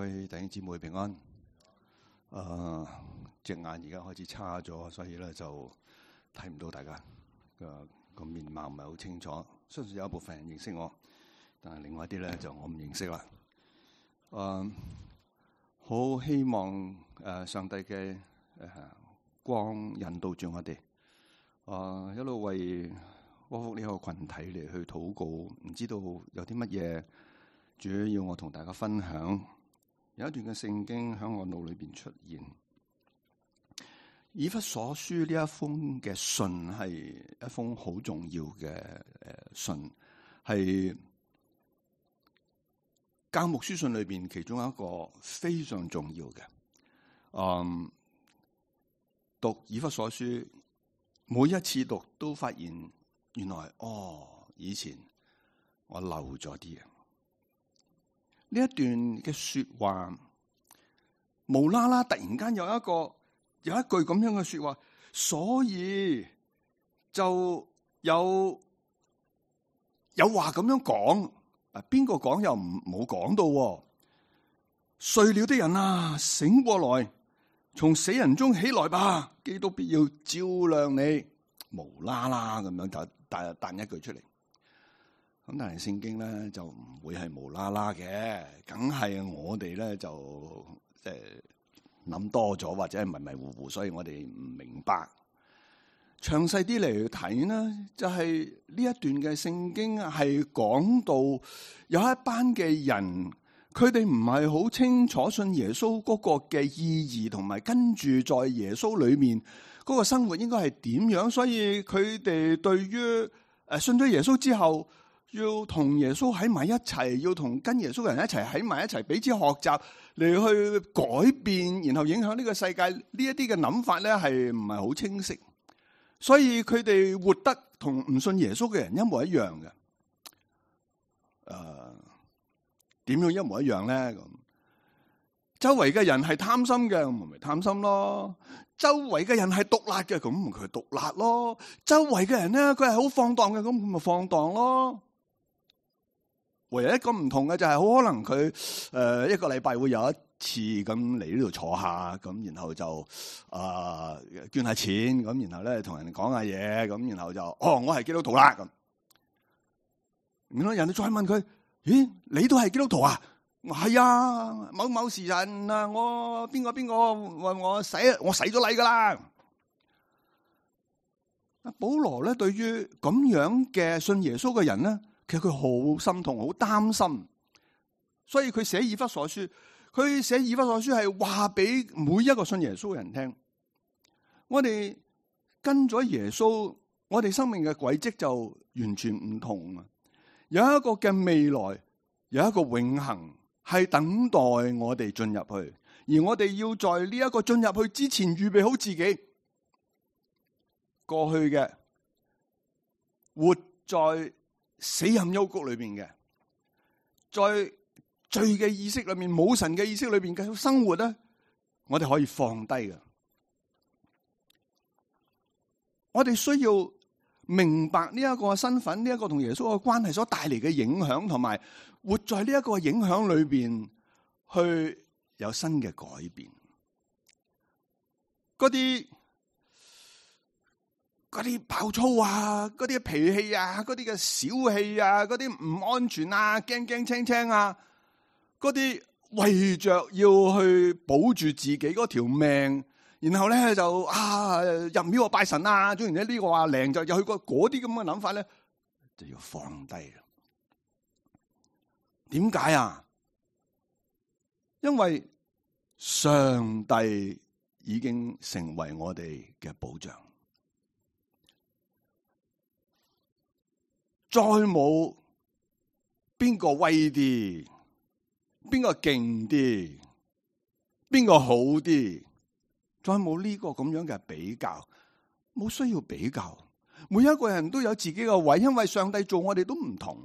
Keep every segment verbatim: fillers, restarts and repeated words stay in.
各位弟兄姊妹平安。誒，隻眼而家開始差咗，所以咧就睇唔到大家個個面貌唔係好清楚。相信有一部分人認識我，但係另外一啲咧就我唔認識啦。誒，好希望誒上帝嘅誒光引導住我哋。誒，一路為窩福呢個群體嚟去禱告，唔知道有啲乜嘢主要要我同大家分享。有一段嘅聖經喺我腦裏邊出現，以弗所書呢一封嘅信係一封好重要嘅誒信，係教牧書信裏邊其中一個非常重要嘅。嗯，讀以弗所書，每一次讀都發現原來哦，以前我漏咗啲嘢。呢一段嘅說話，無啦啦突然間有一個有一句咁樣嘅說話，所以就有有話咁樣講。啊，邊個講又唔冇講到？睡了的人啊，醒過來，從死人中起來吧，基督必要照亮你。無啦啦咁樣就彈彈一句出嚟。咁但係聖經咧就唔會係無啦啦嘅，梗係我哋咧就即係諗多咗，或者係迷迷糊糊，所以我哋唔明白。詳細啲嚟睇呢，就係、是、呢一段嘅聖經係講到有一班嘅人，佢哋唔係好清楚信耶穌嗰個嘅意義，同埋跟住在耶穌裏面嗰個生活應該係點樣，所以佢哋對於誒信咗耶穌之後，要同耶穌喺埋一齊，要同跟耶穌嘅人一齊喺埋一齊，彼此學習嚟去改變，然後影響呢個世界。呢一啲嘅諗法咧係唔係好清晰，所以佢哋活得同唔信耶穌嘅人一模一樣嘅。誒、呃，點樣一模一樣咧？咁周圍嘅人係貪心嘅，咁咪貪心咯；周圍嘅人係毒辣嘅，咁佢毒辣咯；周圍嘅人咧，佢係好放蕩嘅，咁佢咪放蕩咯。唯一一個唔同嘅就係，好可能佢誒一個禮拜會有一次咁嚟呢度坐下，咁然後就啊、呃、捐下錢，咁然後咧同人講下嘢，咁然後就哦我係基督徒啦咁。然後人哋再問佢：咦，你都係基督徒啊？我係啊，某某時辰啊，我邊個邊個話我洗我洗咗禮噶啦。阿保羅咧對於咁樣嘅信耶穌嘅人咧，其實佢好心痛，好擔心，所以佢寫以弗所書。佢寫以弗所書係話俾每一個信耶穌嘅人聽，我哋跟咗耶穌，我哋生命嘅軌跡就完全唔同啊！有一個嘅未來，有一個永恆係等待我哋進入去，而我哋要在呢一個進入去之前預備好自己。過去嘅活在死蔭幽谷裏邊嘅，在罪嘅意識裏面，冇神嘅意識裏邊繼續生活咧，我哋可以放低嘅。我哋需要明白呢一個身份，呢一個同耶穌嘅關係所帶嚟嘅影響，同埋活在呢一個影響裏邊去有新嘅改變。嗰啲嗰啲暴躁啊，嗰啲脾氣啊，嗰啲嘅小氣啊，嗰啲唔安全啊，驚驚青青啊，嗰啲為着要去保住自己嗰條命，然後咧就啊入廟拜神啊，總然之呢個話靈就又去過嗰啲咁嘅諗法咧，就要放低啦。點解啊？因為上帝已經成為我哋嘅保障。再冇邊個威啲，邊個勁啲，邊個好啲，再冇呢個咁樣嘅比較，冇需要比較。每一個人都有自己嘅位，因為上帝做我哋都唔同。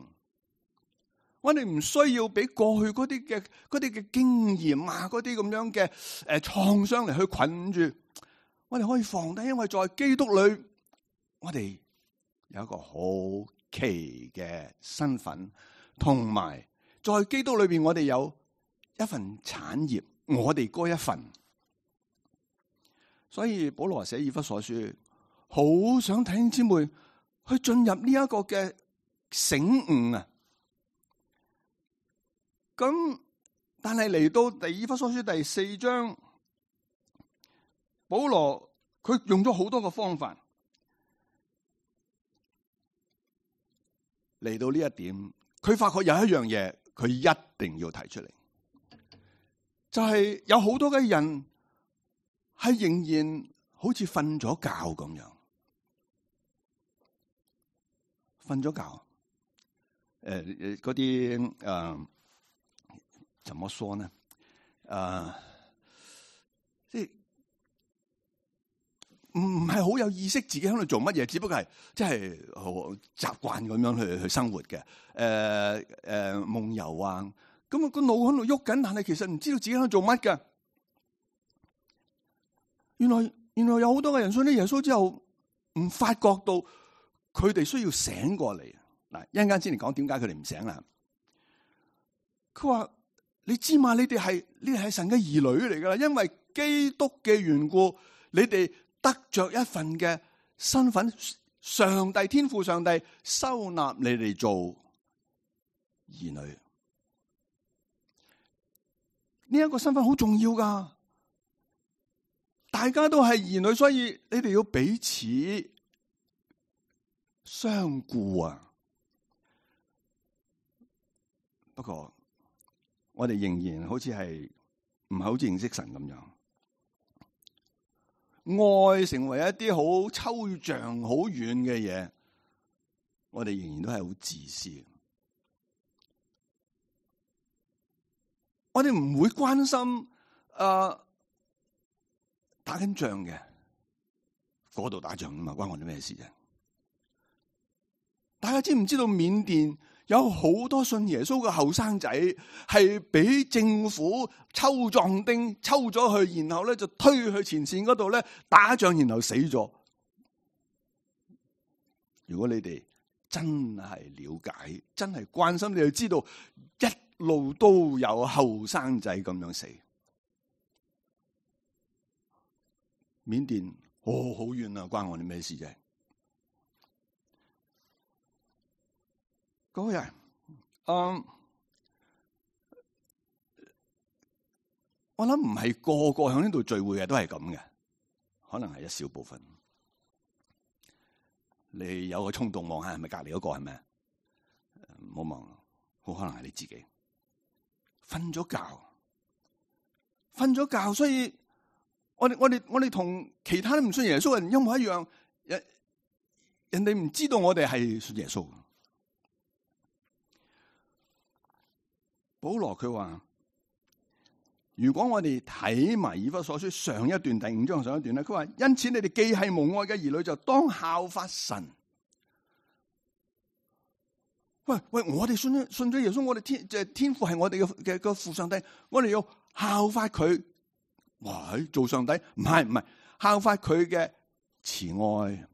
我哋唔需要俾過去嗰啲嘅嗰啲嘅經驗啊，嗰啲咁樣嘅誒創傷嚟去困住。我哋可以放低，因為在基督裏，我哋有一個好奇嘅身份，同埋在基督裏邊，我哋有一份產業，我哋嗰一份。所以保羅寫以弗所書，好想弟兄姊妹去進入呢一個嘅醒悟啊！咁但係嚟到第以弗所書第四章，保羅佢用咗好多個方法嚟到呢一點，佢發覺有一樣嘢，佢一定要提出嚟，就係有好多嘅人係仍然好似瞓咗覺咁樣，瞓咗覺，誒、呃、誒，嗰啲誒，怎麼說呢？誒、呃，即係唔唔係好有意識自己喺度做乜嘢，只不過係即係好習慣咁樣去去生活嘅。誒、呃、誒、呃，夢遊啊，咁啊個腦喺度喐緊，但係其實唔知道自己喺度做乜嘅。原來原來有好多嘅人信咗耶穌之後，唔發覺到佢哋需要醒過嚟。嗱，一陣間先嚟講點解佢哋唔醒啦。佢話：你知嘛？你哋係你哋係神嘅兒女嚟噶啦，因為基督嘅緣故，你哋得着一份嘅身份，上帝天父上帝收納你哋做兒女。呢一個身份好重要噶。大家都係兒女，所以你哋要彼此相顧啊！不過我哋仍然好似係唔係好似認識神咁樣，愛成為一啲好抽象、好遠嘅嘢，我哋仍然都係好自私。我哋唔會關心誒。呃打緊仗嘅，嗰度打仗啊嘛，關我哋咩事啫？大家知唔知道緬甸有好多信耶穌嘅後生仔係俾政府抽壯丁抽咗去，然後咧就推去前線嗰度咧打仗，然後死咗。如果你哋真係了解、真係關心，你就知道一路都有後生仔咁樣死。緬甸哦，好遠啊，關我哋咩事啫？嗰日，嗯，我諗唔係個個喺呢度聚會嘅都係咁嘅，可能係一小部分。你有個衝動望下係咪隔籬嗰個係咪？唔好望，好可能係你自己瞓咗覺，瞓咗覺，所以。我哋我哋我哋同其他唔信耶穌嘅人一模一樣，人人哋唔知道我哋係信耶穌。保羅佢話：如果我哋睇埋以弗所書上一段第五章上一段咧，佢話因此你哋既係無愛嘅兒女，就當效法神。喂喂，我哋信咗信咗耶穌，我哋天即係天父係我哋嘅嘅個父上帝，我哋要效法佢。哇！做上帝唔係唔係效法佢嘅慈愛，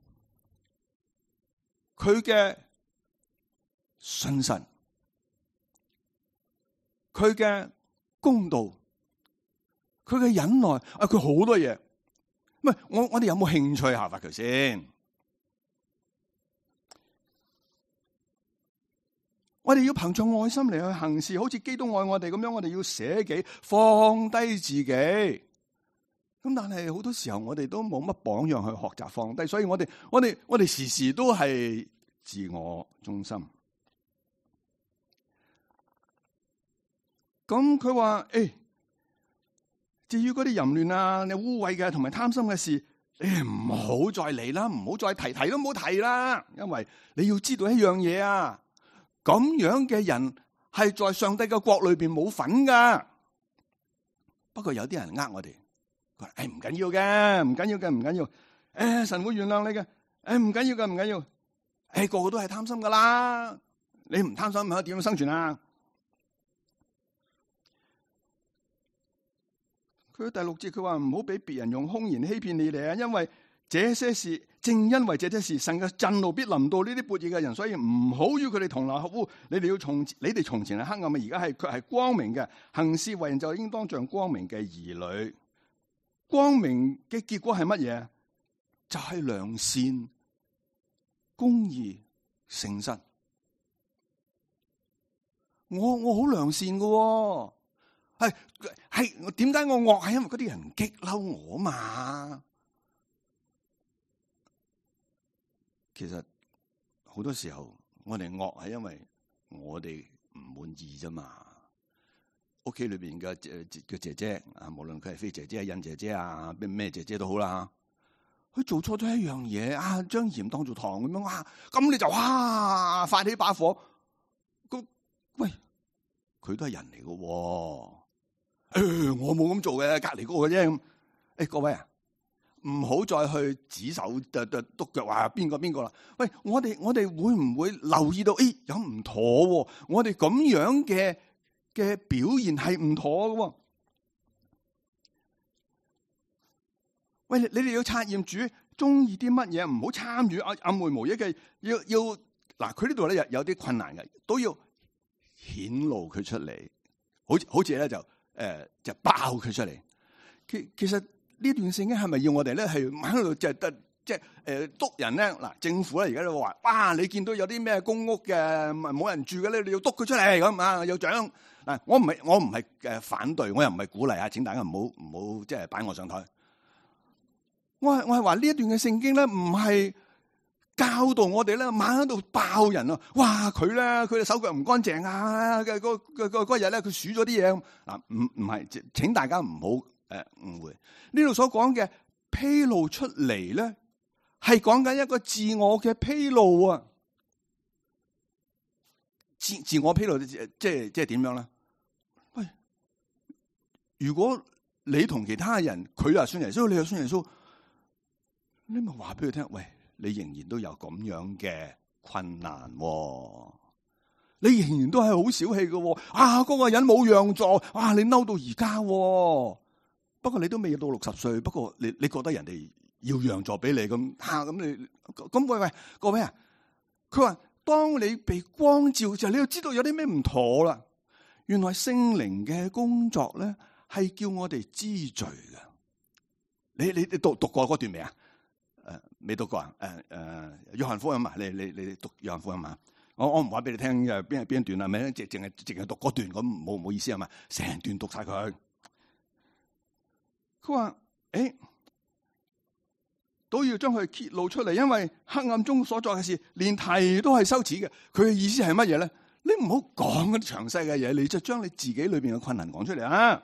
佢嘅信實，佢嘅公道，佢嘅忍耐啊！佢好多嘢。喂，我我哋有冇興趣效法佢先？我哋要憑着愛心嚟去行事，好似基督愛我哋咁樣。我哋要捨己，放低自己。咁但係好多時候我哋都冇乜榜樣去學習放低，所以我哋我哋我哋時時都係自我中心。咁佢話誒，至於嗰啲淫亂啊、你污穢嘅同埋貪心嘅事，你唔好再嚟啦，唔好再提，提都唔好提啦。因為你要知道一樣嘢啊，咁樣嘅人係在上帝嘅國裏邊冇份噶。不過有啲人呃我哋。誒，唔緊要嘅，唔緊要嘅，唔緊要。誒，神會原諒你嘅。誒，唔緊要嘅，唔緊要。誒，個個都係貪心噶啦。你唔貪心，可以點樣生存啊？佢第六節佢話唔好俾別人用空言欺騙你哋啊，因為這些事，正因為這些事，神嘅震怒必臨到呢啲悖逆嘅人，所以唔好與佢哋同流合污。你哋要從你哋從前係黑暗嘅，而家係佢係光明嘅，行事為人就應當像光明嘅兒女。光明嘅結果係乜嘢？就係、是、良善、公義、誠實。我我好良善嘅、哦，係係點解我惡？係因為嗰啲人激嬲我嘛。其實好多時候我哋惡係因為我哋唔滿意啫嘛。屋企裏邊嘅嘅姐姐啊，無論佢係飛姐姐、印姐姐啊，咩咩姐姐都好啦，佢做錯咗一樣嘢啊，將鹽當做糖咁樣啊，咁你就哇發起把火。咁喂，佢都係人嚟嘅、哦，誒、哎，我冇咁做嘅，隔籬嗰個啫。誒、哎，各位啊，唔好再去指手誒誒督腳話邊個邊個啦。喂，我哋我哋會唔會留意到？誒、哎，有唔妥、哦？我哋咁樣嘅嘅表現係唔妥嘅、哦。喂，你哋要察驗主中意啲乜嘢，唔好參與暗暗昧無益嘅。要要嗱，佢呢度咧有有啲困難嘅，都要顯露佢出嚟。好似好似咧就誒、呃、就爆佢出嚟。其其實呢段聖經係咪要我哋咧係喺度就得即係誒督人咧？嗱，政府咧而家都話，哇！你見到有啲咩公屋嘅冇人住嘅咧，你要督佢出嚟咁啊，有獎嗱。我唔係我唔係誒反對，我又唔係鼓勵啊！請大家唔好唔好即係擺我上台。我係我係話呢一段嘅聖經咧，唔係教導我哋咧，猛喺度爆人啊！哇，佢咧佢哋手腳唔乾淨啊！嘅嗰嗰嗰嗰日咧，佢數咗啲嘢啊！唔唔係，請大家唔好誒誤會。呢度所講嘅披露出嚟咧，係講緊一個自我嘅披露啊！自自我披露即係即係點樣咧？喂，如果你同其他人，佢又信耶穌，你又信耶穌。你咪話俾佢聽，喂，你仍然都有咁樣嘅困難、哦，你仍然都係好小氣嘅、哦，啊，嗰、那個人冇讓座，啊，你嬲到而家、哦，不過你都未到六十歲，不過你你覺得人哋要讓座俾你咁，吓咁你咁喂喂，各位啊，佢話當你被光照就，你要知道有啲咩唔妥啦。原來聖靈嘅工作咧係叫我哋知罪嘅。你你你讀讀過嗰段未啊？誒，未讀過啊？誒誒，約翰福音嘛，你你你讀約翰福音嘛？我我唔話俾你聽嘅邊係邊一段啊？咪淨淨係淨係讀嗰段咁冇冇意思啊嘛？成段讀晒佢。佢話誒，都要將佢揭露出嚟，因為黑暗中所作嘅事，連提都係羞恥嘅。佢嘅意思係乜嘢咧？你唔好講嗰啲詳細嘅嘢，你就將你自己裏邊嘅困難講出嚟啊！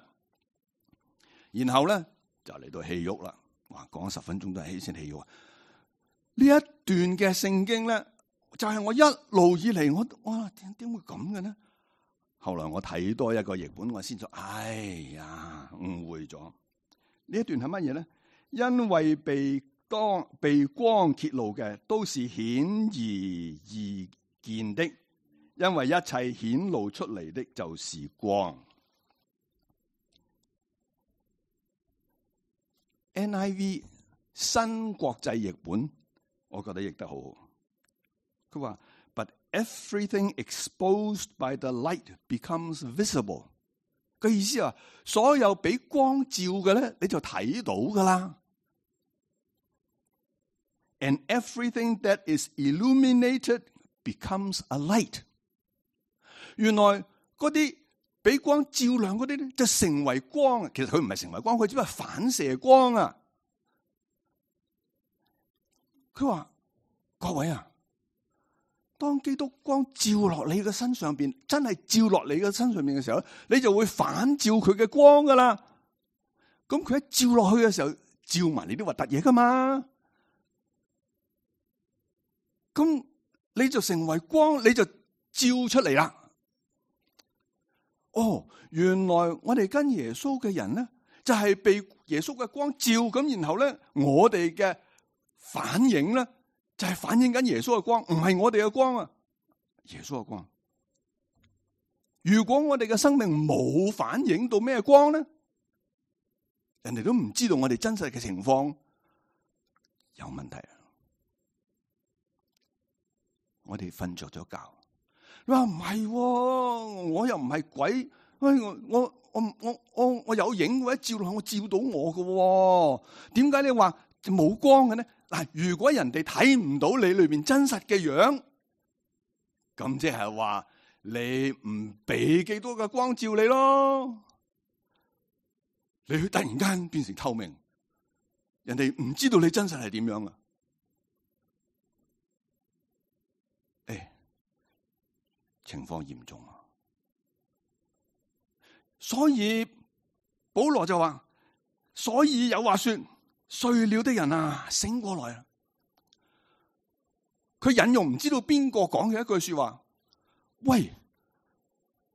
然後咧就嚟到戲肉啦。哇！講咗十分鐘都係起先氣喎。呢一段嘅聖經咧，就係、是、我一路以嚟，我哇點點會咁嘅呢？後來我睇多一個譯本，我先就哎呀誤會咗。呢一段係乜嘢咧？因為被當被光揭露嘅，都是顯而易見的，因為一切顯露出嚟的就是光。N I V 新國際譯本，我覺得譯得好好。佢話 ，But everything exposed by the light becomes visible。嘅意思啊，所有俾光照嘅咧，你就睇到噶啦。And everything that is illuminated becomes a light。原來嗰啲俾光照亮嗰啲咧，就成為光啊！其實佢唔係成為光，佢只不過反射光啊！佢話：各位啊，當基督光照落你嘅身上邊，真係照落你嘅身上邊嘅時候，你就會反照佢嘅光噶啦。咁佢一照落去嘅時候，照埋你啲核突嘢噶嘛。咁你就成為光，你就照出嚟啦。哦，原來我哋跟耶穌嘅人咧，就係被耶穌嘅光照，咁然後咧，我哋嘅反應咧，就係反映緊耶穌嘅光，唔係我哋嘅光啊，耶穌嘅光。如果我哋嘅生命冇反映到咩光咧，人哋都唔知道我哋真實嘅情況，有問題。我哋瞓着咗覺。你話唔係，我又唔係鬼，我我我我我我有影或者照落，我照到我嘅。點解你話冇光嘅呢？嗱，如果人哋睇唔到你裏邊真實嘅樣，咁即係話你唔俾幾多嘅光照你咯。你去突然間變成透明，人哋唔知道你真實係點樣啊？誒，情況嚴重啊！所以保羅就話，所以有話說，睡了的人啊，醒過來啊！佢引用唔知道邊個講嘅一句說話，喂！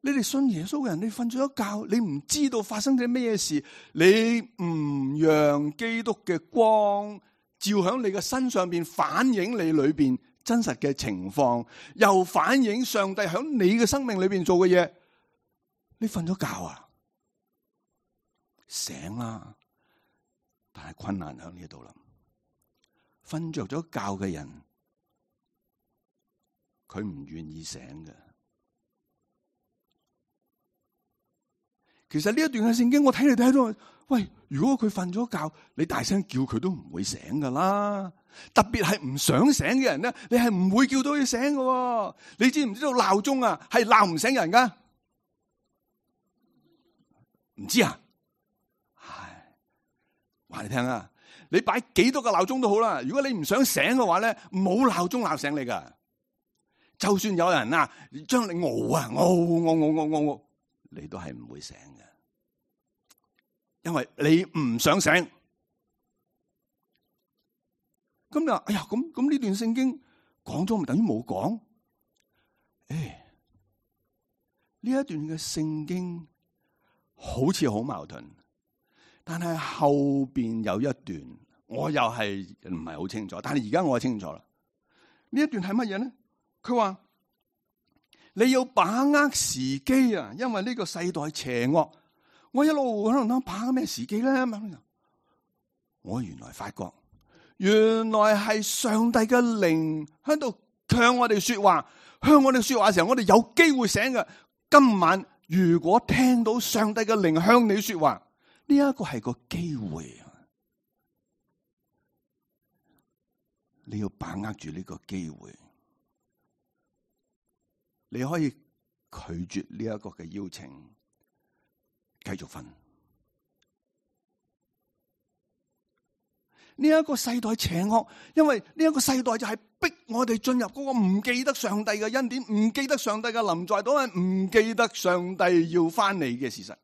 你哋信耶穌嘅人，你瞓咗一覺，你唔知道發生咗咩事，你唔讓基督嘅光照響你嘅身上邊，反映你裏邊真實嘅情況，又反映上帝響你嘅生命裏邊做嘅嘢，你瞓咗覺啊？醒啦！但係困難響呢度啦，瞓着咗覺嘅人，佢唔願意醒嘅。其實呢一段嘅聖經，我睇嚟睇到，喂，如果佢瞓咗覺，你大聲叫佢都唔會醒噶啦。特別係唔想醒嘅人咧，你係唔會叫到佢醒嘅。你知唔知道鬧鐘啊係鬧唔醒人噶？唔知啊？唉，話你聽啊，你擺幾多個鬧鐘都好啦。如果你唔想醒嘅話咧，冇鬧鐘鬧醒你噶。就算有人啊，將你熬啊熬熬熬熬熬，你都係唔會醒嘅。因為你唔想醒，咁就哎呀，咁咁呢段聖經講咗，咪等於冇講？誒，呢一段嘅聖經好似好矛盾，但係後邊有一段，我又係唔係好清楚。但係而家我清楚啦，呢一段係乜嘢呢？佢話你要把握時機啊，因為呢個世代邪惡。我一路喺度諗把握咩時機咧？我原來發覺，原來係上帝嘅靈喺度向我哋說話，向我哋說話嘅時候，我哋有機會醒嘅。今晚如果聽到上帝嘅靈向你說話，呢一個係個機會，你要把握住呢個機會。你可以拒絕呢一個嘅邀請，繼續瞓。呢一個世代邪惡，因為呢一個世代就係逼我哋進入嗰個唔記得上帝嘅恩典，唔記得上帝嘅臨在，都係唔記得上帝要翻嚟嘅事實。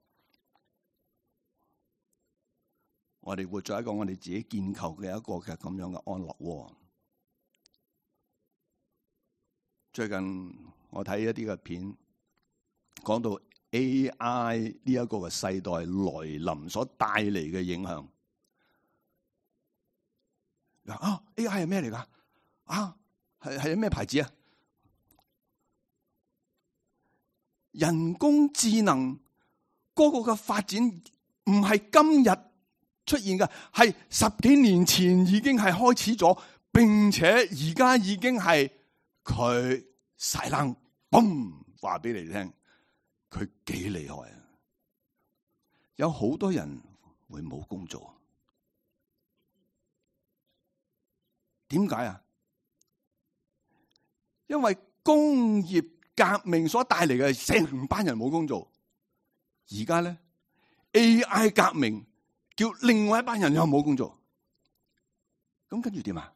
我哋活在一個我哋自己建構嘅一個嘅咁樣嘅安樂窩。最近我睇一啲嘅片，講到 A I 呢一個嘅世代來臨所帶嚟嘅影響。啊 A I 係咩嚟噶？啊係係咩牌子啊？人工智能嗰個嘅發展唔係今日出現嘅，係十幾年前已經係開始咗，並且而家已經係佢晒冷，嘣話俾你聽，佢幾厲害啊！有好多人會冇工做。點解啊？因為工業革命所帶嚟嘅成班人冇工做，而家咧 A I 革命叫另外一班人又冇工做，咁跟住點啊？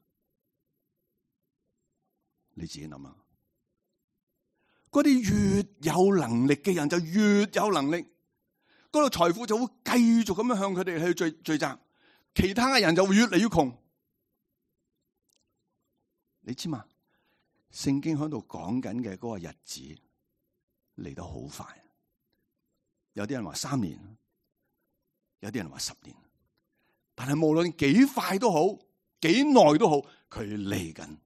你自己諗啊！嗰啲越有能力嘅人就越有能力，嗰度財富就會繼續咁樣向佢哋去聚聚集，其他嘅人就會越嚟越窮。你知嘛？聖經喺度講緊嘅嗰個日子嚟得好快，有啲人話三年，有啲人話十年，但係無論幾快都好，幾耐都好，佢嚟緊。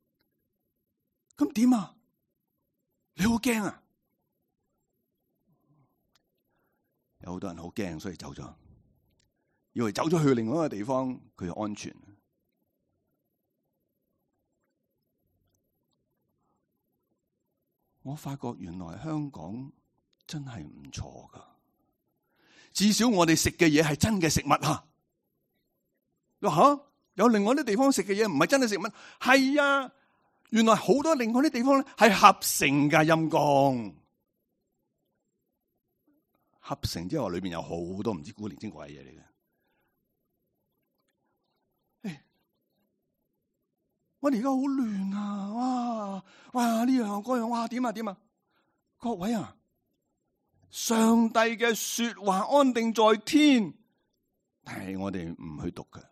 咁點啊？你好驚啊？有好多人好驚，所以走咗，以為走咗去另外一個地方佢安全。我發覺原來香港真係唔錯噶，至少我哋食嘅嘢係真嘅食物啊！你話吓，有另外啲地方食嘅嘢唔係真嘅食物，係啊，原來好多另外啲地方咧係合成噶，陰公。合成之後裏邊有好多唔知古靈精怪嘅嘢嚟嘅。誒，我哋而家好亂啊！哇哇呢樣嗰樣，哇點啊點啊！各位啊，上帝嘅說話安定在天，但係我哋唔去讀嘅，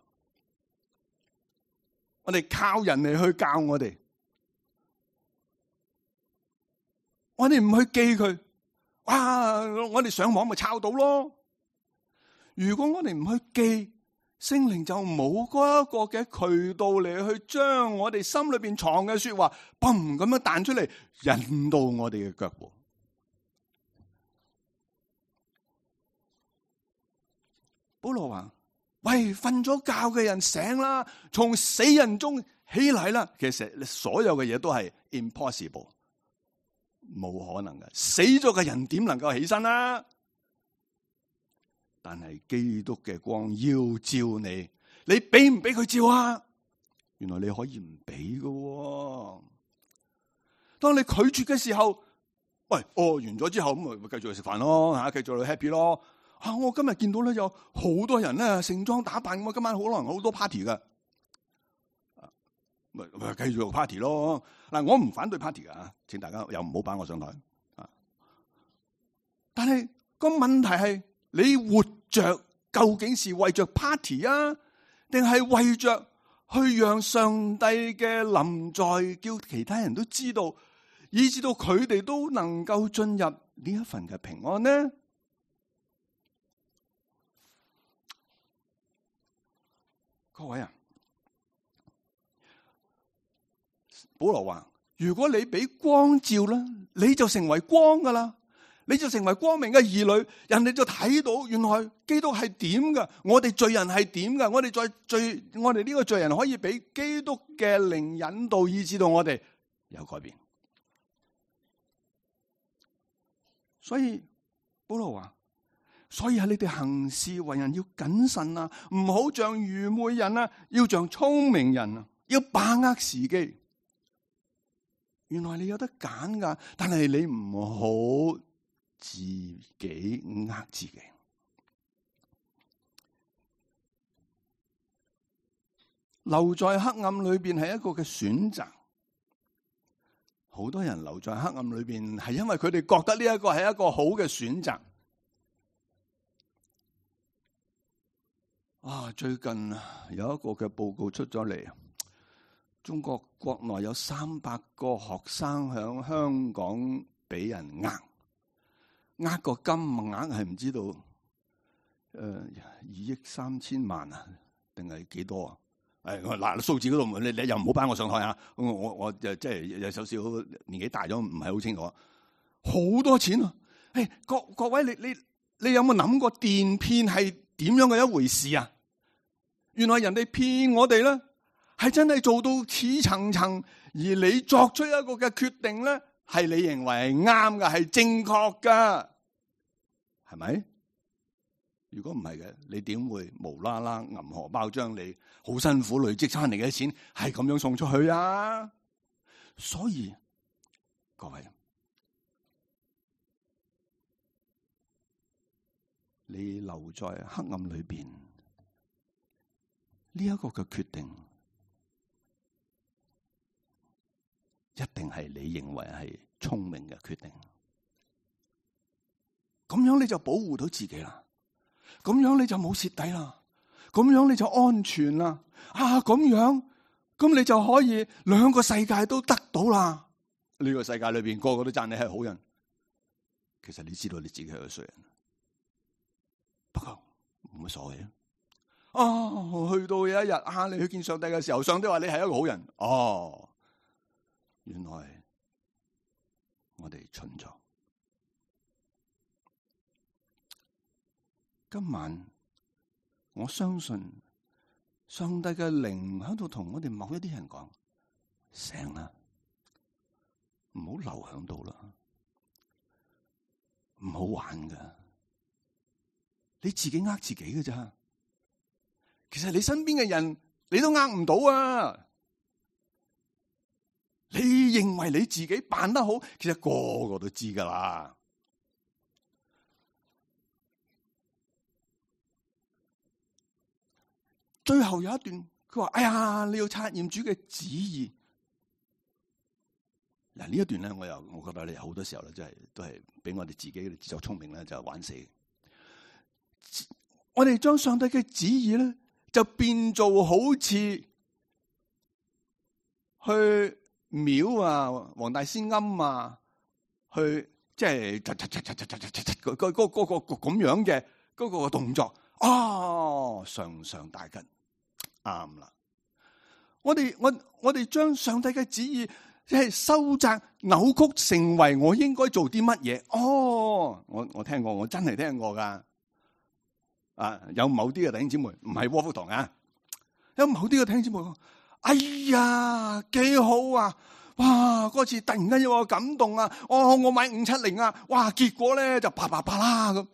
我哋靠人嚟去教我哋，我哋唔去記佢。哇！我哋上網咪抄到咯。如果我哋唔去記，聖靈就冇嗰一個嘅渠道嚟去將我哋心裏邊藏嘅說話，嘣咁樣彈出嚟，引到我哋嘅腳步。保羅話：喂，瞓咗覺嘅人醒啦，從死人中起嚟啦。其實所有嘅嘢都係 impossible。冇可能嘅，死咗嘅人點能夠起身啊？但係基督嘅光要照你，你俾唔俾佢照啊？原來你可以唔俾嘅。當你拒絕嘅時候，喂，哦，完咗之後咁咪繼續去食飯咯，吓，繼續去 happy 咯。啊，我今日見到咧有好多人咧盛裝打扮，咁今晚可能好多 party 嘅。咪咪繼續 party 咯。嗱，我唔反對 party 噶，請大家又唔好擺我上台啊！但係個問題係，你活着究竟是為着 party 啊，定係為着去讓上帝嘅臨在，叫其他人都知道，以至到佢哋都能夠進入呢一份嘅平安呢？各位啊！保羅話：如果你俾光照啦，你就成為光噶啦，你就成為光明嘅兒女，人哋就睇到原來基督係點噶，我哋罪人係點噶，我哋再罪，我哋呢個罪人可以俾基督嘅靈引導，以致到我哋有改變。所以保羅話：所以喺你哋行事為人要謹慎啊，唔好像愚昧人啊，要像聰明人啊，要把握時機。原來你有得揀噶，但係你唔好自己呃自己。留在黑暗裏邊係一個嘅選擇。好多人留在黑暗裏邊係因為佢哋覺得呢一個係一個好嘅選擇。啊，最近有一個嘅報告出咗嚟。中國國內有三百個學生響香港俾人呃，呃個金額係唔知道，誒、呃、二億三千萬啊，定係幾多啊？誒嗱，數字嗰度你你又唔好擺我上台啊！我我我就即係有少少年紀大咗，唔係好清楚。好多錢啊！誒，各各位，你你你有冇諗過電騙係點樣嘅一回事啊？原來人哋騙我哋咧。係真係做到似層層，而你作出一個嘅決定咧，係你認為係啱嘅，係正確㗎，係咪？如果唔係嘅，你點會無啦啦銀荷包將你好辛苦累積翻嚟嘅錢係咁樣送出去啊？所以各位，你留在黑暗裏邊呢一個嘅決定，一定係你認為係聰明嘅決定，咁樣你就保護到自己啦，咁樣你就冇蝕底啦，咁樣你就安全啦。啊，咁樣咁你就可以兩個世界都得到啦。呢個世界裏邊個個都讚你係好人，其實你知道你自己係個衰人，不過冇乜所謂啊。啊，去到有一日啊，你去見上帝嘅時候，上帝話你係一個好人，哦。原來我哋蠢咗。今晚我相信上帝嘅靈喺度同我哋某一啲人講：醒啦！唔好留響度啦，唔好玩噶，你自己呃自己嘅咋？其實你身邊嘅人你都呃唔到啊！你認為你自己辦得好，其實個個都知噶啦。最後有一段，佢話：哎呀，你要察驗主嘅旨意。嗱，呢一段咧，我又我覺得你好多時候咧，真係都係俾我哋自己嘅自作聰明咧，就玩死。我哋將上帝嘅旨意咧，就變做好似去廟啊、黃大仙庵啊，去即係嗰嗰嗰個咁樣嘅嗰個動作。哦，上上大吉，啱啦！我哋我我哋將上帝嘅旨意即係收窄扭曲，成為我應該做啲乜嘢？哦，我我聽過，我真係聽過噶。啊，有某啲嘅弟兄姊妹唔係窩福堂啊，有某啲嘅弟兄姊妹講：哎呀，幾好啊！哇，嗰次突然間有個感動啊！哦，我買五七零啊！哇，結果咧就啪啪啪啦咁。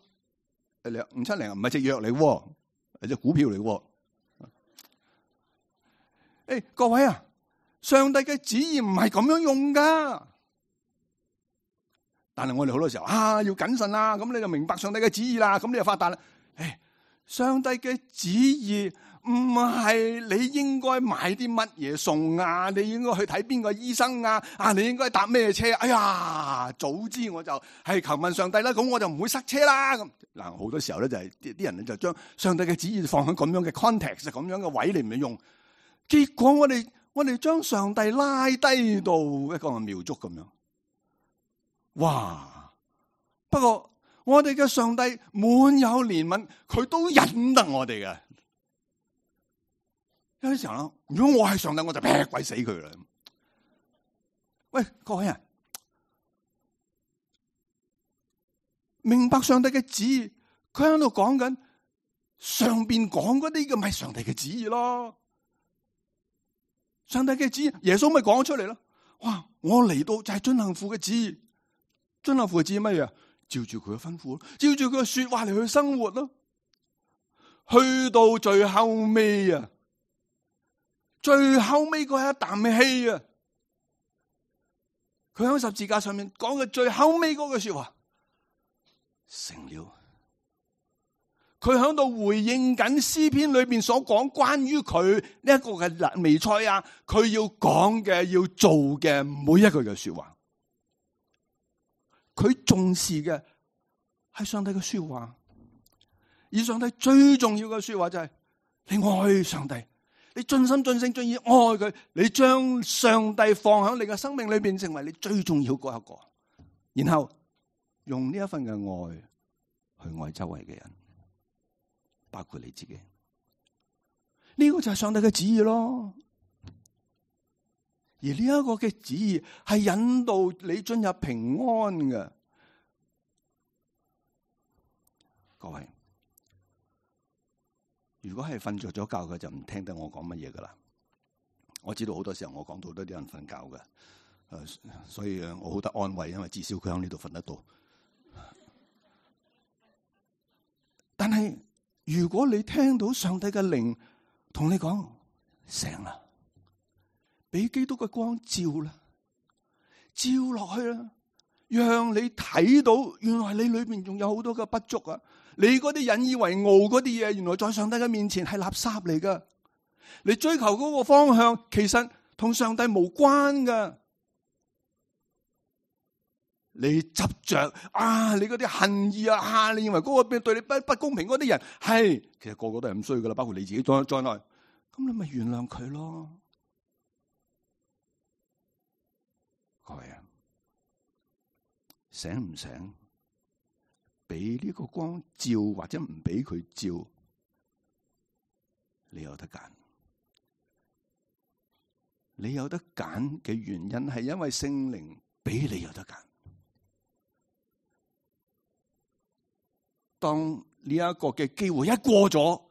五七零唔係隻藥嚟，係隻股票嚟。誒、哎，各位啊，上帝嘅旨意唔係咁樣用噶。但係我哋好多時候啊，要謹慎啦，咁你就明白上帝嘅旨意啦，咁你就發達啦。誒、哎，上帝嘅旨意唔係你應該買啲乜嘢餸啊，你應該去睇邊個醫生啊，啊，你應該搭咩車？哎呀，早知我就係求問上帝啦，咁我就唔會塞車啦。咁嗱，好多時候咧就係啲啲人就將上帝嘅旨意放喺咁樣嘅 context，咁樣嘅位嚟唔用，結果我哋我哋將上帝拉低到一個廟祝咁樣。哇！不過我哋嘅上帝滿有憐憫，佢都忍得我哋嘅。有啲時候啦，如果我係上帝，我就劈鬼死佢啦。喂，各位啊，明白上帝嘅旨意，佢喺度講緊上邊講嗰啲嘅咪上帝嘅旨意咯。上帝嘅旨意，耶穌咪講咗出嚟咯。哇！我嚟到就係遵行父嘅旨意，遵行父嘅旨意乜嘢啊？照住佢嘅吩咐，照住佢嘅說話嚟去生活咯。去到最後尾啊，最後尾嗰一啖氣啊，佢喺十字架上面講嘅最後尾嗰句說話成了。佢喺度回應緊詩篇裏邊所講關於佢呢一個嘅彌賽亞，佢要講嘅要做嘅每一句嘅說話，佢重視嘅係上帝嘅說話，而上帝最重要嘅說話就係你愛上帝，你盡心盡性盡意愛佢，你將上帝放喺你嘅生命裏邊，成為你最重要嗰一個，然後用呢一份嘅愛去愛周圍嘅人，包括你自己。呢個就係上帝嘅旨意咯。而呢一個嘅旨意係引導你進入平安嘅。各位，如果係瞓着咗覺嘅，就唔聽得我講乜嘢噶啦。我知道好多時候我講到都有人瞓覺嘅，誒，所以我好得安慰，因為至少佢喺呢度瞓得到。但係如果你聽到上帝嘅靈同你講醒啦，俾基督嘅光照啦，照落去啦，讓你睇到原來你裏邊仲有好多嘅不足啊！你嗰啲引以為傲嗰啲嘢，原來在上帝嘅面前係垃圾嚟噶。你追求嗰個方向，其實同上帝無關噶。你執着啊，你嗰啲恨意啊，啊，你認為嗰個對你不不公平嗰啲人係，其實個個都係咁衰噶啦，包括你自己在在內。咁你咪原諒佢咯，各位啊，醒唔醒？俾呢個光照或者唔俾佢照，你有得揀。你有得揀嘅原因係因為聖靈俾你有得揀。當呢一個嘅機會一過咗，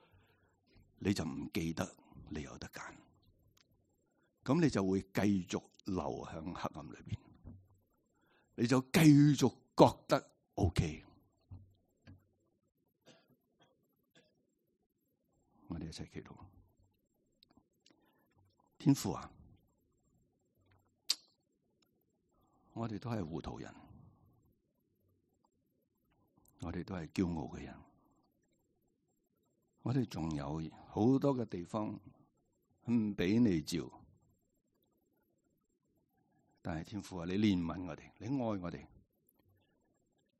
你就唔記得你有得揀，咁你就會繼續留喺黑暗裏邊。你就繼續覺得 OK。我哋一齊祈禱。天父啊，我哋都係糊塗人，我哋都係驕傲嘅人，我哋仲有好多嘅地方唔俾你照。但係天父啊，你憐憫我哋，你愛我哋，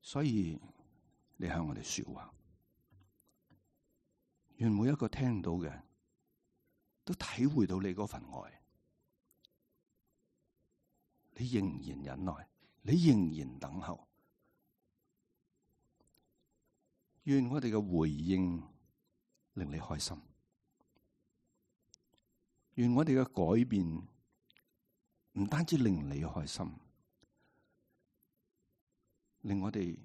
所以你向我哋說話。願每一個聽到嘅都體會到你嗰份愛，你仍然忍耐，你仍然等候。願我哋嘅回應令你開心，願我哋嘅改變唔單止令你開心，令我哋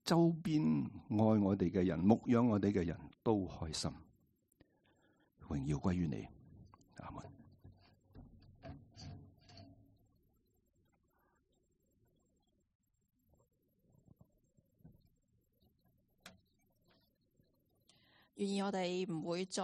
周邊愛我哋嘅人、牧養我哋嘅人都開心。榮耀歸於你，阿門。願意我哋唔會再